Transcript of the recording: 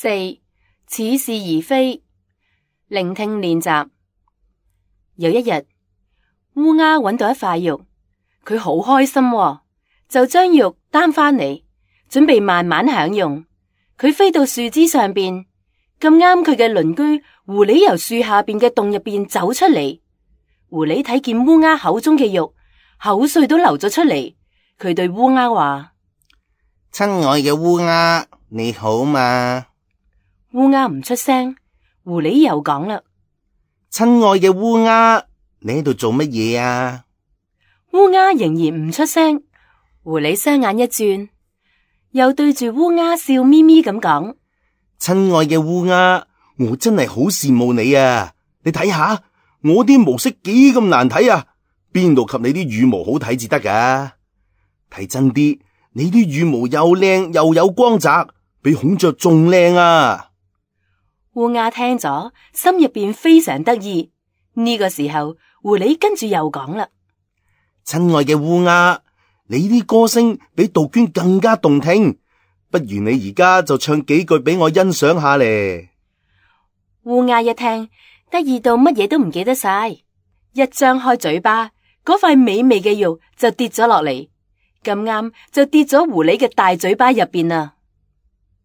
四、似是而非。聆聽練習。有一日，烏鴉揾到一塊肉，佢好開心喎，就將肉擔返嚟，準備慢慢享用。佢飛到樹枝上邊，咁啱佢嘅鄰居狐狸由樹下邊嘅洞入邊走出嚟。狐狸睇見烏鴉口中嘅肉，口水都流咗出嚟。佢對烏鴉話：親愛嘅烏鴉，你好嘛？烏鴉唔出聲。狐狸又講啦：親愛嘅烏鴉，你喺度做乜嘢啊？烏鴉仍然唔出聲。狐狸雙眼一轉，又對住烏鴉笑眯眯咁講：親愛嘅烏鴉，我真係好羨慕你啊！你睇下我啲毛色幾咁難睇啊，邊度及你啲羽毛好睇至得噶？睇真啲，你啲羽毛又靚又有光澤，比孔雀仲靚啊！烏鴉聽咗，心入邊非常得意。呢個時候，狐狸跟住又講啦：親愛嘅烏鴉，你啲歌聲比杜鵑更加動聽，不如你而家就唱幾句俾我欣賞下咧。烏鴉一聽，得意到乜嘢都唔記得晒，一張開嘴巴，嗰塊美味嘅肉就跌咗落嚟，咁啱就跌咗狐狸嘅大嘴巴入邊啦。